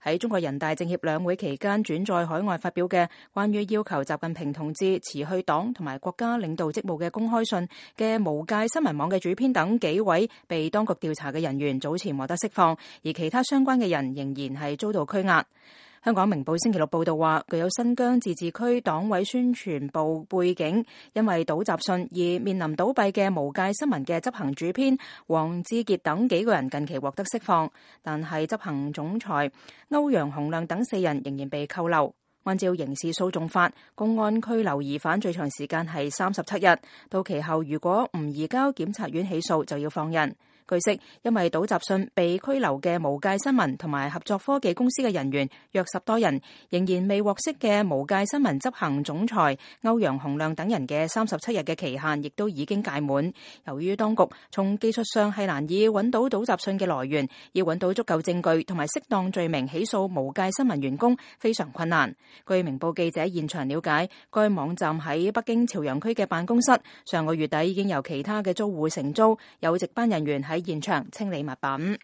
喺中國人大政協兩會期間轉載海外發表嘅關於要求習近平同志辭去黨同埋國家領導職務嘅公開信嘅無界新聞網嘅主編等幾位被當局調查嘅人員早前獲得釋放，而其他相關嘅人仍然係遭到拘押。香港明報星期六報道話，具有新疆自治區黨委宣傳部背景，因為倒習信而面臨倒閉嘅無界新聞嘅執行主編黃志傑等幾個人近期獲得釋放，但係執行總裁歐陽洪亮等4人仍然被扣留。按照刑事訴訟法，公安拘留疑犯最長時間係37日，到期後如果唔移交檢察院起訴，就要放人。據悉，因為倒習信被拘留嘅無界新聞同埋合作科技公司嘅人員約10多人，仍然未獲釋嘅無界新聞執行總裁歐陽洪亮等人嘅37日嘅期限亦都已經屆滿。由於當局從技術上係難以揾到倒習信嘅來源，要揾到足夠證據同埋適當罪名起訴無界新聞員工非常困難。據明報記者現場了解，該網站喺北京朝陽區嘅辦公室上個月底已經由其他嘅租戶承租，有值班人員喺現場清理物品。